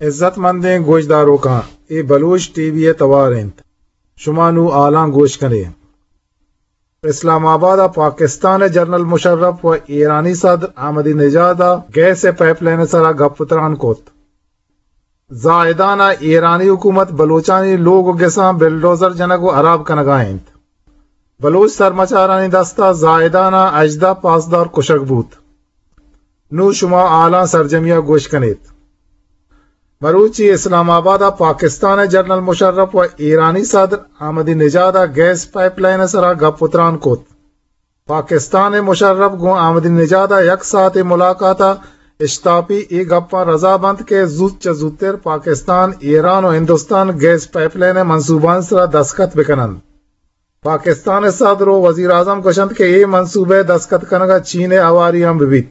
عزت مندیں گوشداروکاں، اے بلوچ ٹی وی ءِ توار اِنت۔ شما نوں حالاں گوش کن ئے۔ اسلام آباد ءَ پاکستان ءِ جنرل مشرف ءُ ایرانی صدر احمدی نژاد ءَ گیس ءِ پائپ لائن ءِ سرا گپ ءُ تران کت۔ زاہدان ءَ ایرانی حکومت بلوچانی لوگ ءُ گساں بلڈوزر جنگ ءُ ہراب کنگ ءَ اِنت۔ بلوچ سرمچارانی دست ءَ زاہدان ءَ ہژدہ پاسدار کشگ بوت۔ نوں شما حالاں سرجمی ءَ گوش کن ایت۔ مروچی اسلام آباد ءَ پاکستان ءِ جنرل مشرف ءُ ایرانی صدر احمدی نژاد ءَ گیس پائپ لائن ءِ سرا گپ ءُ تران کت۔ پاکستان ءِ مشرف گوں احمدی نژاد ءَ یک ساعتے ملاقات ءَ اشتاپی اے گپاں رضا بنت کہ زوت چہ زوتر پاکستان، ایران ءُ ہندوستان گیس پائپ لائن ءِ منصوبانی سرا دستخط بہ کن اَنت۔ پاکستان ءِ صدر ءُ وزیر اعظم گوش اَنت کہ اے منصوبہ ءِ دستخط کنگ ءَ چین ءِ ہواری ہم بہ بیت۔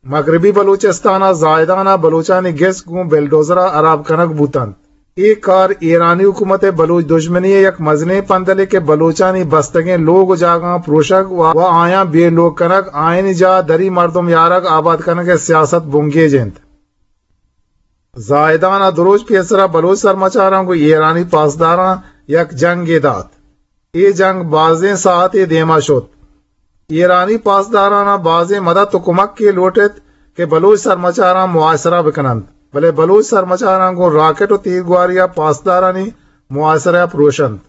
مغربی بلوچستان ءِ زاہدان ءَ بلوچانی گس گوں بلڈوزر ءَ ہراب کنگ بوت اَنت۔ اے کار ایرانی حکومت ءِ بلوچ دژمنی ءِ یک مزنیں پندلے کہ بلوچانی بستگیں لوگ ءُ جاگہاں پروشگ ءُ، ءُ آیاں بے لوگ کنگ، آیانی جاہ ءَ دری مردم یارگ آباد کنگ ءِ سیاست بنگیج اِنت۔ زاہدان ءَ دو روچ پیسر ءَ بلوچ سرمچاراں گوں ایرانی پاسداراں یک جنگے دات۔ اے جنگ بازیں ساعتے دیم ءَ شت۔ ایرانی پاسداراں بازیں مدد ءُ کمکے لوٹ اِت کہ بلوچ سرمچاراں محاصرہ بہ کن اَنت، بلے بلوچ سرمچاراں گوں راکٹ ءُ تیرگواری ءَ پاسدارانی محاصرہ ءَ پروش اَنت۔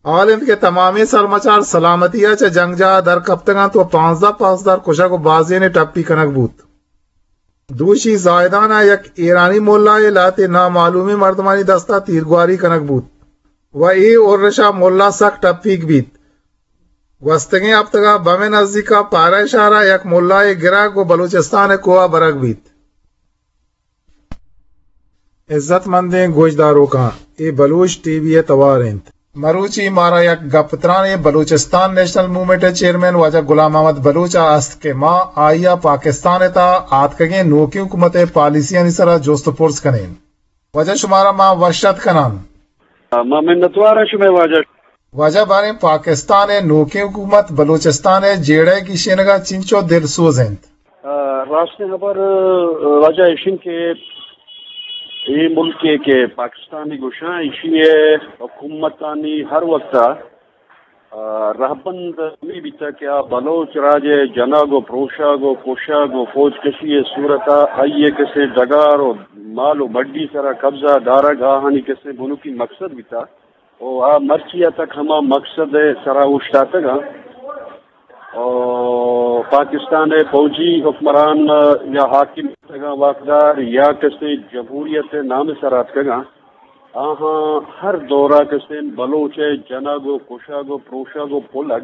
حال اِنت کہ تمامیں سرمچار سلامتی ءَ چہ جنگجاہ ءَ در کپتگ اَنت ءُ پانزدہ پاسدار کشگ ءُ بازینے ٹپی کنگ بوت۔ دوشی زاہدان ءَ یک ایرانی ملا ءِ لہتے نامعلومیں مردمانی دست ءَ تیرگواری کنگ بوت ءُ اے ارش ءَ ملا سک ٹپیگ بیت۔ گوستگیں ہپتگ ءَ بم ءِ نزیک ءَ پارہ شہر ءَ یک ملا ءِ گرگ ءُ بلوچستان ءِ کوہ ءَ برگ بیت۔ عزت مندیں گوشداروکاں، اے بلوچ ٹی وی ءِ توار اِنت۔ مروچی مارا یک گپ ترانے بلوچستان نیشنل موومنٹ ءِ چیئرمین واجہ غلام محمد بلوچ ءَ است کہ ما آئی ءَ پاکستان ءِ تہا آتکگیں نوکیں حکومت ءِ پالیسیانی سرا جست ءُ پرس کنیں۔ واجہ شمارا ما وش اتک کناں۔ ما منتوار آں شمئے واجہ۔ واجہ باریں پاکستان ءِ نوکیں حکومت بلوچستان ءِ جیڑہ ءِ گیشینگ ءَ چنچو دلسوز اِنت؟ آ، راستیں ہبر، آ، واجہ ایش اِنت کہ اے ملکے کہ پاکستانی گوشاں، ایشی ءِ حکومتانی ہر وقت ءَ، آ، رہبند ہمے بیتگ کہ آ بلوچ راج ءِ جنگ ءُ پروشگ ءُ کشگ ءُ فوج کشی ءِ صورت ءَ آئی ءِ کسے ڈگار ءُ مال ءُ مڈی سرا قبضہ دارگ آہانی کسے بنکی مقصد بیتگ۔ ءُ آ مرچی ءَ تک ہما مقصد ءِ سرا اوشتاتگ اَنت۔ ءُ پاکستان ءِ فوجی حکمران یا حاکم بوتگاں واکدار یا کسے جمہوریت ءِ نام ءِ سرا اتکگاں، آہاں ہر دور ءَ کسے بلوچ ءِ جنگ ءُ کشگ ءُ پروشگ ءُ پلگ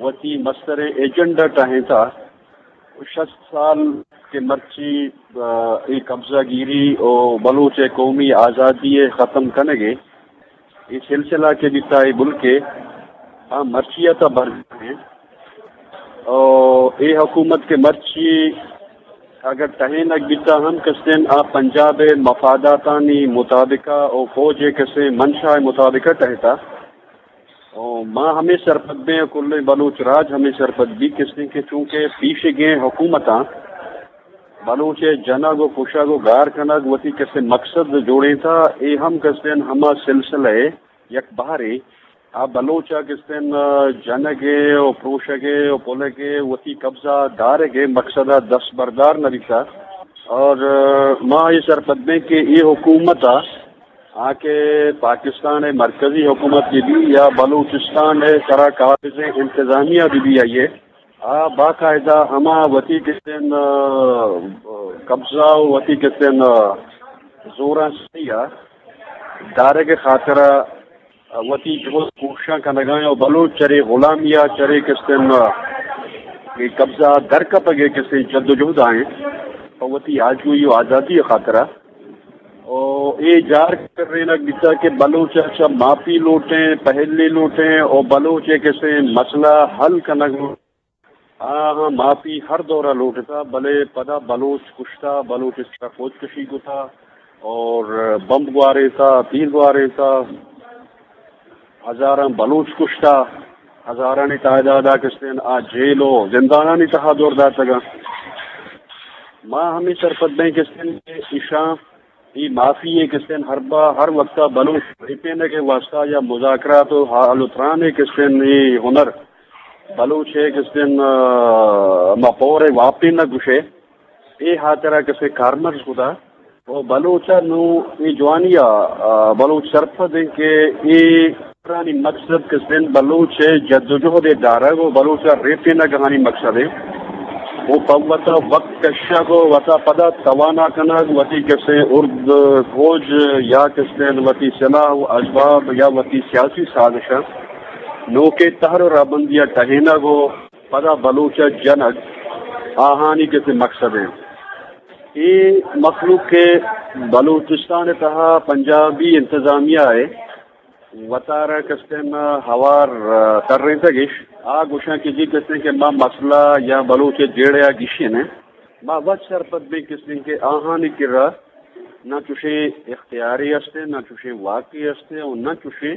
وتی مستریں ایجنڈا ٹہینتہ۔ شست سال کہ مرچی، آ، اے قبضہ گیری ءُ بلوچ ءِ قومی آزادی ءِ ختم کنگ ءِ اے سلسلہ کہ بیتہ اے ملک ءِ، آ مرچی ءَ تہ برجاہ اِنت۔ ءُ اے حکومت کہ مرچی اگر ٹہینگ بیتہ ہم کستیں آ پنجاب ءِ مفاداتانی مطابق ءَ ءُ فوج ءِ کسے منشا ءِ مطابق ءَ ٹہیتہ۔ ءُ ما ہمے سرپد بیں، کلیں بلوچ راج ہمے سرپد بی کستیں کہ چونکہ پیشگیں حکومتاں بلوچ ءِ جنگ ءُ کشگ ءُ گار کنگ وتی کسے مقصد جوڑینتہ، اے ہم کستیں ہما سلسلہ ءِ یک بہرے۔ آ بلوچ ءَ کستیں جنگ ءِ ءُ پروشگ ءِ ءُ پلگ ءِ وتی قبضہ دارگ ءِ مقصد ءَ دست بردار نہ بیتہ۔ اور ما اے سرپد بیں کہ اے حکومت ءَ آ کہ پاکستان ءِ مرکزی حکومت بہ بی یا بلوچستان ءِ سرا قابض انتظامیہ بہ بی، آئی ءَ آ باقاعدہ ہما وتی کستیں، آ، قبضہ ءُ وتی کستیں، آ، زورانسری ءَ دارگ ءِ خاطر ءَ وتی جہد کوششاں کنگا ایں ءُ بلوچ چرے غلامی ءَ چرے کستیں، آ، اے قبضہ ءَ درکپگ ءِ کستیں جد ءُ جہد ءَ ایں پہ وتی آجوئی ءُ آزادی ءِ خاطر ءَ۔ ءُ اے جار کرینگ بیتہ کہ بلوچ ءَ چہ معافی لوٹیں، پہلی لوٹیں ءُ بلوچ ءِ کسے مسئلہ حل کنگ لوٹیں۔ آہاں معافی ہر دور ءَ لوٹتہ، بلے پدا بلوچ کشتہ، بلوچ ءِ سرا فوج کشی کتہ اور بمب گوارینتہ، تیر گوارینتہ، ہزاراں بلوچ کشتہ، ہزارانی تعداد ءَ کستیں آ جیل ءُ زندانانی تہا دور داتگاں۔ ما ہمے سرپد بیں کستیں کہ ایشاں اے معافی ءِ کسین ہر با، ہر وقتا بلوچ ریپینگ ءِ واسطہ یا مذاکرات و حال و تران ءِ کسین اے ہنر بلوچ ءِ کسین، آ، ما پور ءِ واپین نہ گوشے، اے ہاترا کسے کارمرز کتا۔ و بلوچ ءَ نوں اے جوانی ءَ، آ، بلوچ سرپد انت کہ اے ہنرانی مقصد کسین بلوچ ءِ جدوجہد ءِ دارگ و بلوچ ءَ ریپینگ آہانی مقصد انت۔ و پہ وتا وقت کشگ و وتا پدا توانا کنگ، وتی کسے ارد فوج یا کسین وتی سلاح و اسباب یا وتی سیاسی سازش ءَ نوکیں تہر و رہبندی ءَ ٹہینگ و پدا بلوچ ءَ جنگ آہانی کسے مقصد انت۔ اے مخلوق کہ بلوچستان ءِ تہا پنجابی انتظامیہ ءِ وتارا کستیں ہوار، آ، ترینتگ اش، آ گوشاں کہ جی کستیں کہ ما مسئلہ یا بلوچ ءِ جیڑہ ءَ گیشین ایں، ما وت سرپد بیں کستیں کہ آہانی کرا نہ چوشیں اختیارے است، نہ چوشیں واکے است و نہ چوشیں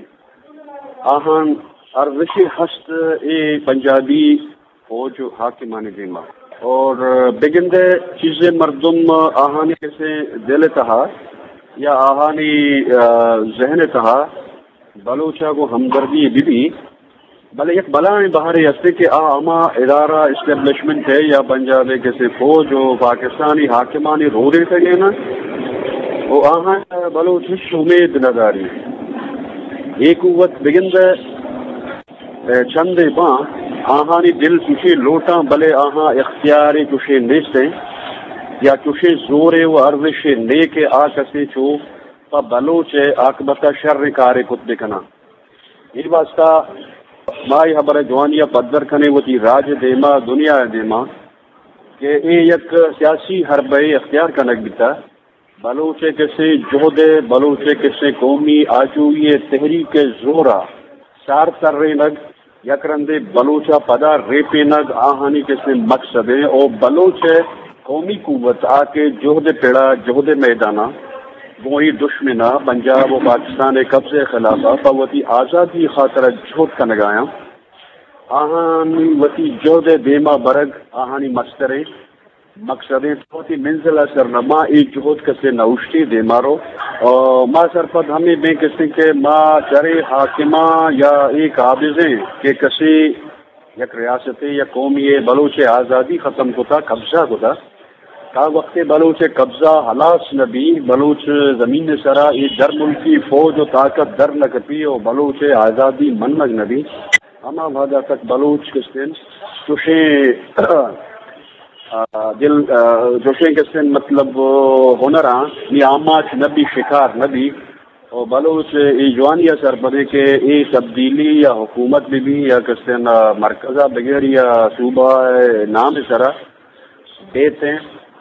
آہان ارزشے ہست اے پنجابی فوج و حاکمانی دیما۔ اور بگندے چیزے مردم آہانی کسے دل تہا یا آہانی، آ، ذہن تہا بلوچا گوں ہمدردی بہ بی، بلے یک بلائیں بہرے ہستے کہ آ ہما ادارہ اسٹیبلشمنٹ ہے یا پنجاب ءِ کسے فوج و پاکستانی حاکمانی رودینتگین و آہاں بلوچ ہچ امید نہ داری۔ اے قوت بگندے چندے باں، آہانی دل چوشیں لوٹاں، بلے آہاں اختیارے چوشیں نیستیں یا چوشیں زورے و ارزشے نے کہ آ کسے چو پہ بلوچ ءِ آکبت ءَ شریں کارے کت بکناں۔ اے واسطہ ما اے ہبر ءِ جوانی ءَ پدر کنیں وتی راج ءِ دیما، دنیا ءِ دیما کہ اے یک سیاسی حربے اختیار کنگ بیتا۔ بلوچ ءِ کسے جہد ءِ، بلوچ ءِ کسے قومی آجوئی ءِ تحریک ءِ زور ءَ سار ترینگ، یک رندے بلوچ ءَ پدا ریپینگ آہانی کسے مقصد ایں او بلوچ ءِ قومی قوت آ کہ جہد ءِ پڑا، جہد ءِ میدان ءَ گوں اے دشمن ءَ پنجاب و پاکستان ءِ قبضہ ءِ خلاف ءَ پہ وتی آزادی ءِ خاطر ءَ جہد کنگ ءَ آیاں، آہانی وتی جہد ءِ دیما برگ آہانی مستریں مقصدیں۔ تو وتی منزل ءَ سر نہ، ما اے جہد کسے نہ اوشتی دیما رو۔ آ، ما سرپد ہمے بیں کسے کہ ما چرے حاکماں یا اے قابضیں کہ کسے یک ریاستے یا قومی ءِ بلوچ ءِ آزادی ختم کتا، قبضہ کتا۔ تا وقتے بلوچ ءِ قبضہ ہلاس نہ بی، بلوچ زمین ءِ سرا اے در ملکی فوج و طاقت در نہ کپی و بلوچ ءِ آزادی منگ نہ بی، ہما وہدا تک بلوچ کستیں چوشیں، آ، دل، آ، چوشیں کستیں مطلب، آ، ہنراں نی آماچ نہ بی، شکار نہ بی۔ و بلوچ اے جوانی ءَ سرپدیں کہ اے تبدیلی یا حکومت بہ بی یا کستیں مرکز ءَ بگر یا صوبہ ءِ نام ءِ سرا بیتیں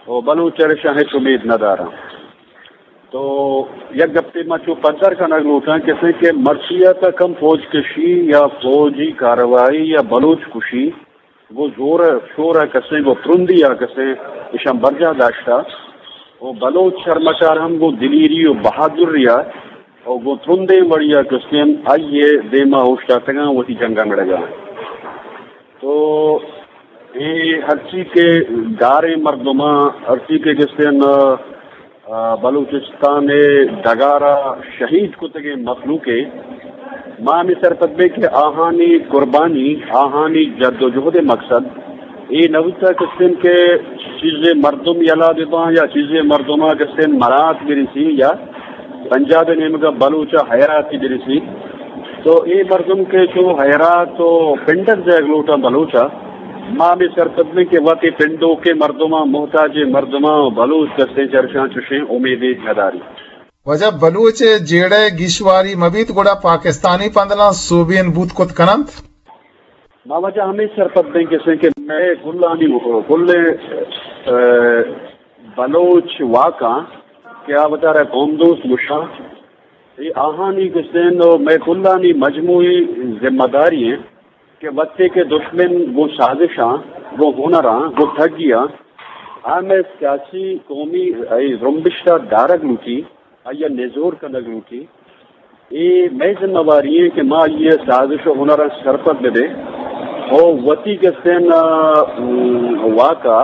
و بلوچ ارشاں ہچ امید نہ داراں۔ تو یک گپے ما چو پدر کنگ لوٹاں، کسے کہ مرچی ءَ تا کم فوج کشی یا فوجی کاروائی یا بلوچ کشی گوں زور ءُ شور ءَ کسے گوں ترندی ءَ کسے اشاں برجاہ داشتا و بلوچ شرمچار ہم گوں دلیری و بہادری ءَ و گوں ترندیں وڑی ءَ کسے آئی ءِ دیما اوشتاتگاں، وتی جنگ ءَ مڑگاں۔ تو اے ہرچی کہ گاریں مردماں، ہرچی کہ کسے آ، بلوچستان ءِ ڈگار ءَ شہید کتگیں مخلوق ءَ ما ہمے سرپد بیں کہ آہانی قربانی، آہانی جد و جہد ءِ مقصد اے نہ بوتگ کستیں کہ چیزے مردم یلا بہ باں یا چیزے مردم ءَ کستیں مرات برسی یا پنجاب ءِ نیمگ ءَ بلوچ ءَ حیراتی برسی۔ تو اے مردم کہ چو حیرات و پنڈگ جایگ لوٹاں بلوچ ءَ، ما ہمے سرپد بیں کہ وت اے پنڈوکیں مردماں، محتاجیں مردماں بلوچ کسیں چرشاں چوشیں امیدے نداری۔ واجہ، بلوچ ءِ جیڑہ ءِ گیشواری مہ بیت گڑا پاکستانی پندلاں سوبین بوت کت کن انت۔ ما واجہ ہمے سرپد بیں کسیں کہ مئے کلانی، کل، اے، بلوچ واکاں کہ آ وتارا قوم دوست گوشاں، اے آہانی کسیں و مئے کلانی مجموعی ذمہ داری ایں کہ وقتے کہ دشمن گوں سازشاں، گوں ہنراں، گوں ٹگیاں، آ مئے سیاسی قومی اے زرمبشت ءَ دارگ لوٹی، آئی ءَ نزور کنگ لوٹی۔ اے مئے ذمہ واری ایں کہ ما آئی ءِ سازش و ہنراں سرپد بہ بیں و وتی کسیں، ام، واک ءَ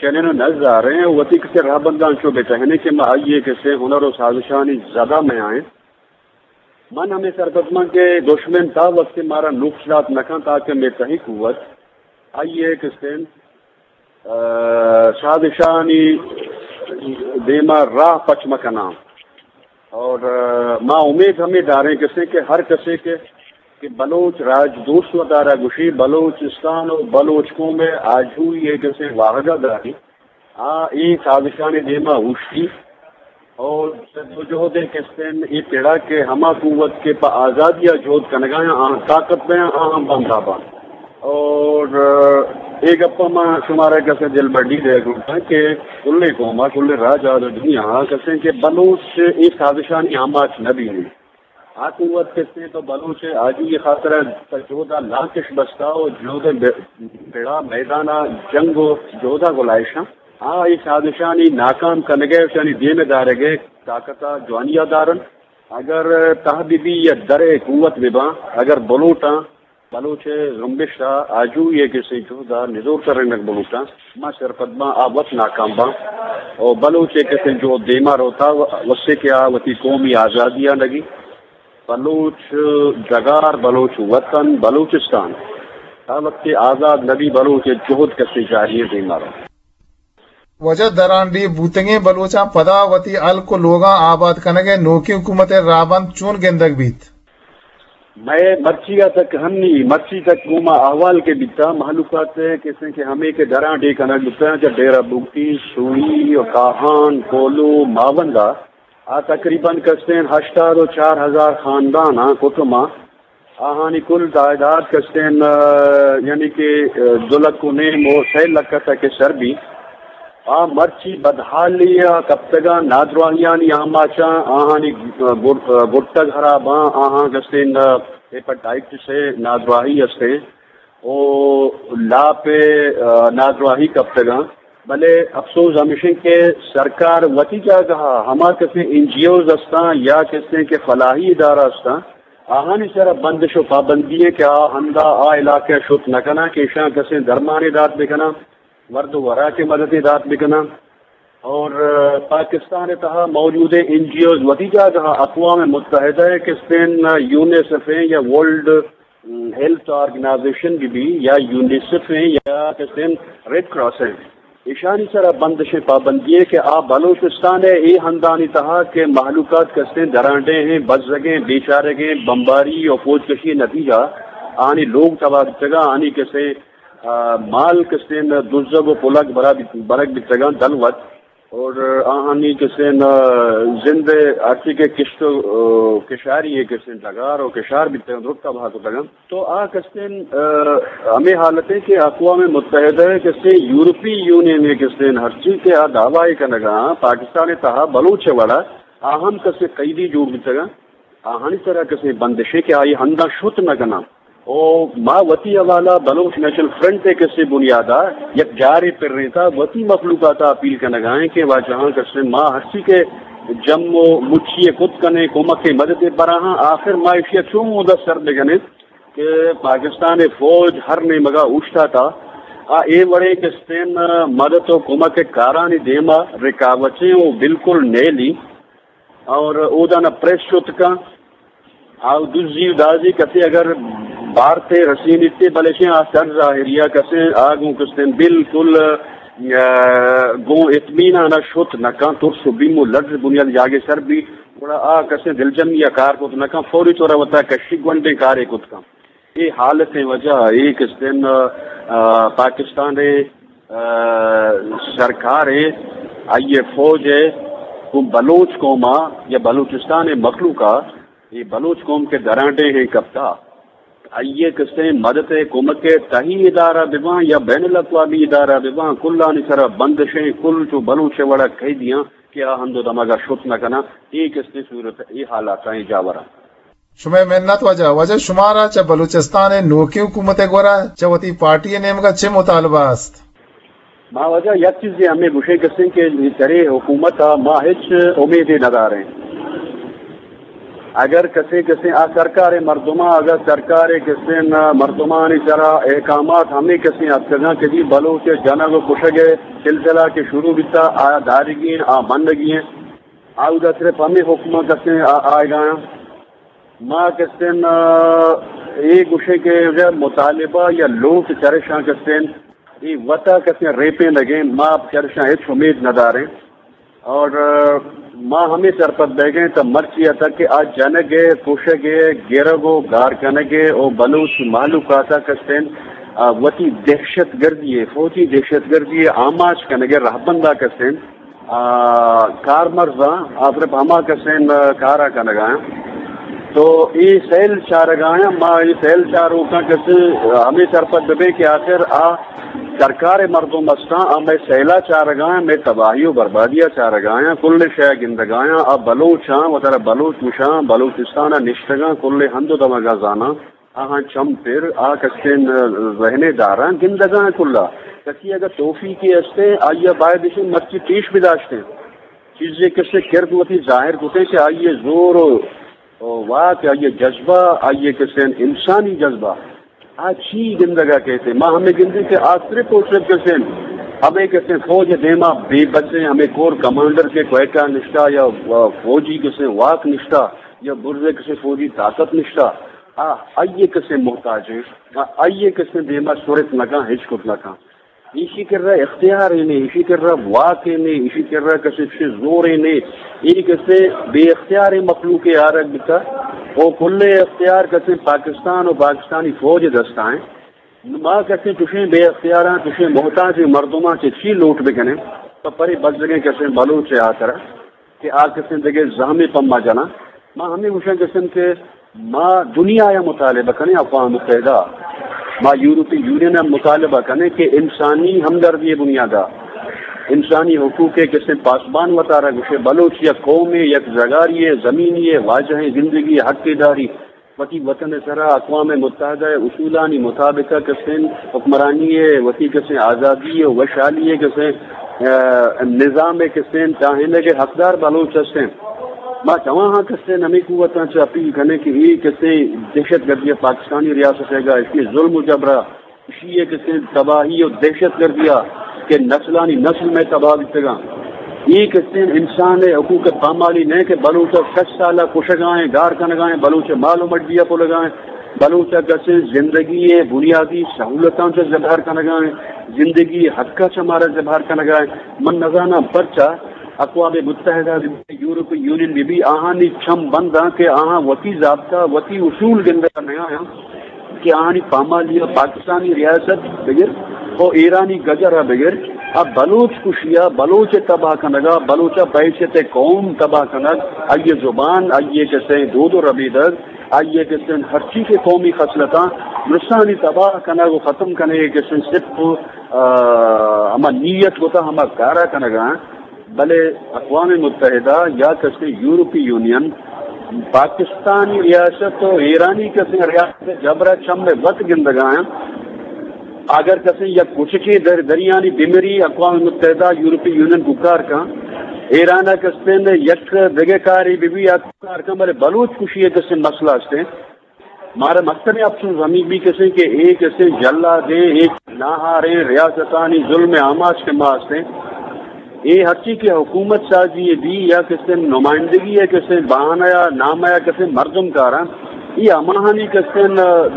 چنین نزاریں، وتی کسے رہبنداں چو بہ ٹہنے کہ ما آئی ء کسے ہنر و سازشانی زدہ میائیں۔ من ہمے سرپد من کہ دشمن تا وقت مارا نقص دات نہ کن تاکہ مے تہی قوت آئی ء کسے، آ، سازشانی دیما راہ پچ مکناں۔ اور، آ، ما امید ہمیں داریں کسے کہ ہر کسے کہ، کہ بلوچ راج دوست و دارا گوشی، بلوچستان و بلوچ قوم آجوئی ء کسے واہگہ داری، آ اے سازشانی دیما اوشتی اور جدوجہد ء کسے اے پڑا کہ ہما قوت کہ پہ آزادی ء جہد کنگایاں آہاں طاقت دیاں، آہاں بندہ باں۔ اور، آ، اے گپا ما شمارا کسے دل بڈی دے گوشاں کہ کلیں قوما، کلیں راج آ دنیا کسے کہ بلوچ اے سازشانی آماچ نہ بینی۔ آ قوت کسے تو بلوچ آجوئی خاطر پہ جہدا لانکش بستا و جہد ب-، پڑا میدانا جنگ و جہدا گلائشاں۔ آ اے سازشانی ناکام کنگے و شانی دیم دارگے طاقتا جوانیا دارن۔ اگر تہ بہ بی یا درے قوت بہ باں، اگر بلوٹاں، بلوچ زمبش ء آجوئی ء کسے جہد ء نزور ترینگ بلوٹاں، ما سرپد باں آ وت ناکام باں۔ او بلوچ ء کسے جہد دیما روتا و-، وسے کہ آ وتی قومی آزادی ء لگی۔ بلوچ ڈگار، بلوچ وطن، بلوچستان، تا وقت آزاد نبی بلوچ جہد کسے جاری ء دیما رو۔ واجہ درانڈیھ بوتگیں بلوچاں پدا وتی ہلک و لوگاں آباد کنگ ء نوکیں حکومت ء راہبند چون گندگ بیت؟ مئے مرچی ء تک ہنی، مرچی تک گوما احوال کہ بیتا، مہلوکات ء کسے کہ ہمے کہ درانڈیھ کنگ بوتاں چہ ڈیرہ بگٹی، سوئی و کاہان، کولو، ماوندا، آ تقریباً کستیں ہشتاد و چار ہزار خاندان آں، کٹم آں۔ آہانی کل تعداد کستیں، آ، یعنی کہ، آ، دو لکھ و نیم و سئے لکھ ء تک سر بی۔ آ مرچی بدحالی ء کپتگاں، نادراہیانی آماچاں، آہانی، آ، گر-، آ، گٹگ ہراباں، آہاں کستیں، آ، ہیپاٹائٹس ء نادراہی استیں۔ و لاپ ء، آ، نادراہی کپتگاں۔ بلے افسوز ہمیش انت کہ سرکار وتی جاگہ ء ہما کسیں این جی اوز استاں یا کسیں کہ فلاحی ادارہ استاں، آہانی سر ء بندش و پابندی انت کہ آ ہندا آ علاقہ ء شت نہ کناں کہ ایشاں کسیں درمانے دات بکناں، ورد و وراک ء مددے دات بکناں۔ اور، آ، پاکستان ء تہا موجود این جی اوز وتی جاگہ ء اقوام متحدہ ء کسیں یونیسف ء یا ورلڈ ہیلتھ آرگنائزیشن بہ بی یا یونیسف ایں یا کسیں ریڈ کراس ایں، ایشانی سرا بندش ایں، پابندی ایں کہ آ بلوچستان ء اے ہندانی تہا کہ مہلوکات کسیں درانڈیں ایں، بزگیں، بیچارگیں، بمباری و فوج کشی نتیجہ آنی لوگ تباہ بیتگاں، آنی کسیں، آ، مال کسیں دزگ و پلگ برا بیت-، برگ بیتگاں دلوت۔ اور آہانی کسیں، آ، زند ہرچی کہ کشت و، آ، کشاری ء کسیں ڈگار و کشار بیتگ انت، درست تباہ کتگ انت۔ تو آ کسیں، آ، ہمے حالت ء کہ اقوام متحدہ ء کسیں یورپی یونین ء کسیں ہرچی کہ آ دعوی کنگا پاکستان ء تہا بلوچ ء وڑا آ ہم کسیں قیدی جوڑ بیتگ انت۔ آہانی سرا کسے بندشے کہ آئی ہندا شت نہ کناں۔ او ما وتی حوالہ بلوچ نیشنل فرنٹ ء کسے بنیادا یک جارے پرینتا وتی مخلوقاتا اپیل کنگا ایں کہ واجہاں کسے ما ہرچی کہ جم و مچی ء کت کنیں کمک ء مدد ء براہاں، آخر ما ایشی ء چون اودا سر بکنیں کہ پاکستان ء فوج ہر نیمگا اوشتاتا آ اے وڑیں کسے مدد و کمک ء کارانی دیما رکاوٹیں و بالکل نیلی۔ اور اودا نہ پریس شت کن، آ دزی و دازی کسے اگر بارتے رسینیتے، بلے شے آ سر ظاہریا کسے آ گوں کستیں بالکل، آ، گوں اطمینان شت نہ کن، ترس و بیم و لرز بنیاد جاگے سر بی، گڑا آ کسے دلجمی یا کار کت نہ کن، فوری طور وتا کشی گونڈیں کارے کت کن۔ اے حالتیں وجہ ء اے کستیں، آ، پاکستان ء، آ، سرکار ء آئی ء فوج ء گوں بلوچ قوم ء یا بلوچستان ء مخلوق ء اے بلوچ قوم کہ درانڈیں ہیں کپتا، آئی ء کستیں مدد ء کمک ء تہی ادارہ بباں یا بین الاقوامی ادارہ بباں، کلانی سرا بندشیں، کل چو بلوچ ء وڑا قیدیاں کہ آ ہند و دمگا شت نہ کناں۔ اے کستیں صورت، اے حالاتاں، اے جاوراں۔ شمئے منت واجہ۔ واجہ شمارا چہ بلوچستان ء نوکیں حکومت ء گورا چہ وتی پارٹی ء نیمگا چے مطالبہ است؟ ما واجہ یک چیزے ہمے گوشے کسیں کہ ترے حکومت ء ما ہچ امیدے نداریں۔ اگر کسے کسے آ سرکار مردماں، اگر سرکار کسے مردمانی سرا احکامات ہمیں کسے اتکگاں کہ جی بلوچ جنگ و کشگ سلسلہ کے شروع بیتا، آ دارگی ہیں، آ بندگی ہیں، آ ادا صرف ہمیں حکم کسے آ-، آئے گا۔ ما کسے اے گوشے کہ اگر مطالبہ یا لوٹ چرشاں کسے اے وتا کسے ریپیں لگیں، ما چرشاں ہچ امید نہ داریں۔ اور، آ، ما ہمیں سرپد بیگیں تا مرچی ء تک کہ آ جنگ ء، کشگ ء، گرگ و گار کنگ ء و بلوچ مہلوک آتا کستین، آ، وتی دہشت گردی ء، فوجی دہشت گردی ء آماچ کنگ ء رہبندا کستین، آ، کارمرزاں آ صرف ہما کستین، آ، کارا کنگا ہیں۔ تو اے سیل چارگایاں، ما اے سیل چاروکاں کسے ہمیں سرپد ببیں کہ آخر آ سرکار مردم استاں، آ مئے سیلا چارگایاں، مئے تباہی و بربادیا چارگایاں، کل شے گندگایاں، آ بلوچاں، وترا بلوچ گوشاں، بلوچستانا نشتگاں، کل ہند و دمگا زاناں، آہاں چم پر، آ کسے ذہنے داراں، گندگاں کلا۔ کسی اگر توفیقے استیں، آئیا باید اشیں مرچی پیش بداشتیں۔ چیزے کسے کرد وتی ظاہر کتیں کہ آئیے زور و و واک، آئی ء جذبہ، آئی ء کسے انسانی جذبہ، آ چی گندگ ء کیت؟ ما ہمے گندیں کہ آ صرف و صرف کسے ہمے کسے فوج ء دیما بے بس ہیں، ہمے کور کمانڈر کے کوئٹہ نشتہ یا فوجی کسے واک نشتہ یا برزے کسے فوجی طاقت نشتہ، آ آئی ء کسے محتاج ہیں، آ آئی ء کسے دیما سرت نہ کن، ہچ کت نہ کن۔ ایشی کرا اختیار ء نے، ایشی کرا واک ء نے، ایشی کرا کسے چشیں زور ء نے، اے کسے بے اختیار مخلوق ء آرگ بتا، او کل اختیار کسے پاکستان و پاکستانی فوج ء دستا ہیں۔ ما کسے چشیں بے اختیاراں، چشیں محتاج مردماں چہ چی لوٹ بکنیں؟ تو پرے بزگیں کسے بلوچ ء آترا کہ آ کسیں دگہ زہمے پما جناں۔ ما ہمے گوشاں کسیں کہ ما دنیا ء مطالبہ کنیں، اقوام متحدہ، ما یورپی یونین ء مطالبہ کنیں کہ انسانی ہمدردی ء بنیاد ء، انسانی حقوق ء کسیں پاسبان وتارا گوشے، بلوچ یک قومے، یک زگاری ء، زمینی ء، واجہیں زندگی ء حق ء داری، وتی وطن ء سرا اقوام متحدہ ء اصولانی مطابق ء کسیں حکمرانی ء، وتی کسیں آزادی ء وشحالی ء کسیں، ء، نظام ء کسیں ٹاہینگ ء حقدار بلوچ ہستیں۔ ما چواہاں کسیں ہمے قوتاں چہ اپیل کنیں کہ اے کسیں دہشت گردی ء پاکستانی ریاست ء گا اشی ظلم و جبرا، اشی ء کسیں تباہی و دہشت گردی ء کہ نسلانی نسل مئے تباہ بیتگاں۔ اے کسیں انسان ء حقوق ء پامالی نہ کہ بلوچ ء شش سال ء کشگائیں، گار کنگائیں، بلوچ ء مال و مڈی ء پلگائیں، بلوچ ء کسیں زندگی ء بنیادی سہولتاں چہ زبہر کنگائیں، زندگی ء حق ء چہ مارا زبہر کنگائیں۔ من نزاناں پرچا اقوام متحدہ بہ بی، یورپی یونین بہ بی، آہانی چم بنداں کہ آہاں وتی ضابطہ، وتی اصول گندگ ء نیایاں کہ آہانی پامالی ء پاکستانی ریاست بگر و ایرانی گجر ء بگر ء بلوچ کشی ء بلوچ ء تباہ کنگ ء بلوچ ء بحیثیت قوم تباہ کنگ، آئی ء زبان، آئی ء کسیں دود و ربیدگ، آئی ء کسیں ہرچی کہ قومی خصلتاں درستانی تباہ کنگ و ختم کنگ ء کسیں صرف، آ، ہما نیت کتا ہما کارا کنگ ء۔ بلے اقوام متحدہ یا کسے یورپی یونین پاکستانی ریاست و ایرانی کسے ریاست جبرا چم وت گندگا ہیں۔ اگر کسے یک کچکے در دریانی بمری، اقوام متحدہ یورپی یونین گکار کن، ایران کسے نے یک دگہ کاری بی بی کار کن، بلے بلوچ کشی کسے مسئلہ ہستے۔ مارا مستریں افسوس ہمے بی کسیں کہ اے کسیں جلادیں، اے ناہاریں ریاستانی ظلم ء آماچ کہ ما ہستیں، اے ہرچی کہ حکومت سازی ء بی یا کسیں نمائندگی ء کسیں بہانہ یا نامہ یا کسیں مردم کاراں، اے ہماہانی کسیں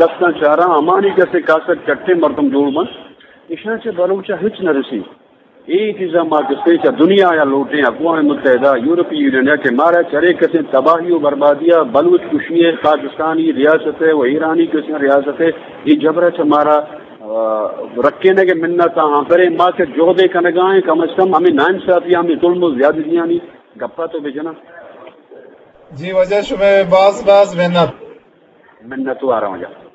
دستاں چاراں، ہمانی کسیں کاسگ چٹیں مردم جوڑ بنت، اشاں چہ بلوچ ء ہچ نہ رسی۔ اے چیزاں ما کسے چہ دنیا ء لوٹیں، اقوام متحدہ، یورپی یونین ء کہ مارا چرے کسیں تباہی و بربادی ء بلوچ کشی ء پاکستانی ریاست ء و ایرانی کسیں ریاست ء اے جبر ء چہ مارا، آ، رکینگ ء منت آں۔ ہاں، پرے ما کہ جہدے کنگا ایں، کم از کم ہمے ناانصافی، ہمے ظلم و زیادتیانی گپا تو بجناں۔ جی واجہ، شمئے باز باز منت۔ منت وار آں واجہ۔